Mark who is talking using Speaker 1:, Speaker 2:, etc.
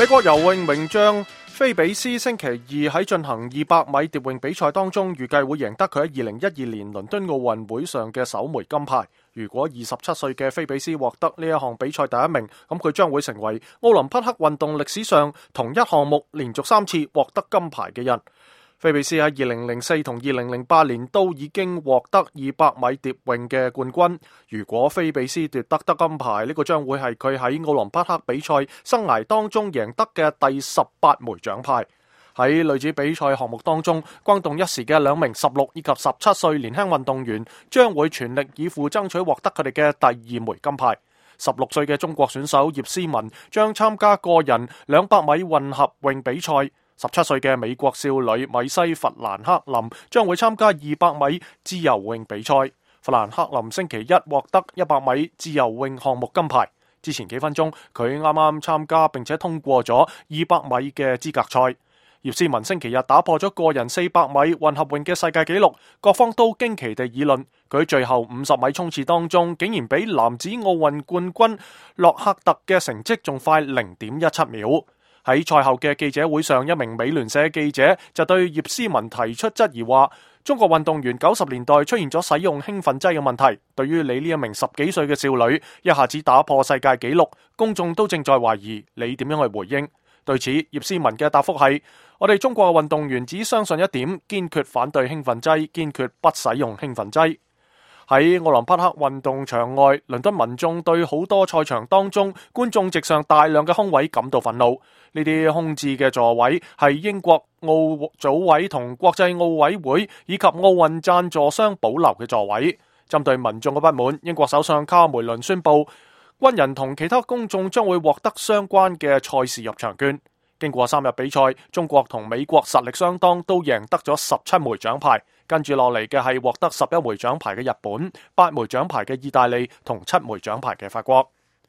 Speaker 1: 美國游泳名將菲比斯星期二喺進行200米蝶泳比賽當中，預計會贏得佢喺2012年倫敦奧運會上嘅首枚金牌。如果27歲嘅菲比斯獲得呢一項比賽第一名，咁佢將會成為奧林匹克運動歷史上同一項目連續3次獲得金牌嘅人。菲比斯喺2004同2008年都已經獲得200米蝶泳嘅冠軍。如果菲比斯奪得金牌，呢個將會係佢喺奧林匹克比賽生涯當中贏得嘅第18枚獎牌。喺女子比賽項目當中，轟動一時嘅2名16以及17歲年輕運動員將會全力以赴爭取獲得佢哋嘅第2枚金牌。16歲嘅中國選手葉詩文將參加個人200米混合泳比賽。17歲嘅美國少女米西弗蘭克林將會參加200米自由泳比賽。弗蘭克林星期一獲得100米自由泳項目金牌。之前幾分鐘，佢啱啱參加並且通過咗200米嘅資格賽。葉詩文星期日打破咗個人400米混合泳嘅世界紀錄，各方都驚奇地議論。佢喺最後50米衝刺當中，竟然比男子奧運冠軍洛克特嘅成績仲快0.17秒。喺賽後嘅記者會上，一名美聯社記者就對葉詩文提出質疑，話中國運動員90年代出現咗使用興奮劑嘅問題，對於你呢一名10幾歲嘅少女一下子打破世界紀錄，公眾都正在懷疑你點樣去回應。對此，葉詩文嘅答覆係：我哋中國嘅運動員只相信一點，堅決反對興奮劑，堅決不使用興奮劑。喺奧林匹克運動場外，倫敦民眾對好多賽場當中觀眾席上大量嘅空位感到憤怒。呢啲空置嘅座位係英國奧組委同國際奧委會以及奧運贊助商保留嘅座位。針對民眾嘅不滿，英國首相卡梅倫宣布，軍人同其他公眾將會獲得相關嘅賽事入場券。經過3日比賽，中國同美國實力相當，都贏得咗17枚獎牌。跟住落嚟嘅係獲得11枚獎牌嘅日本、8枚獎牌嘅意大利同7枚獎牌嘅法國。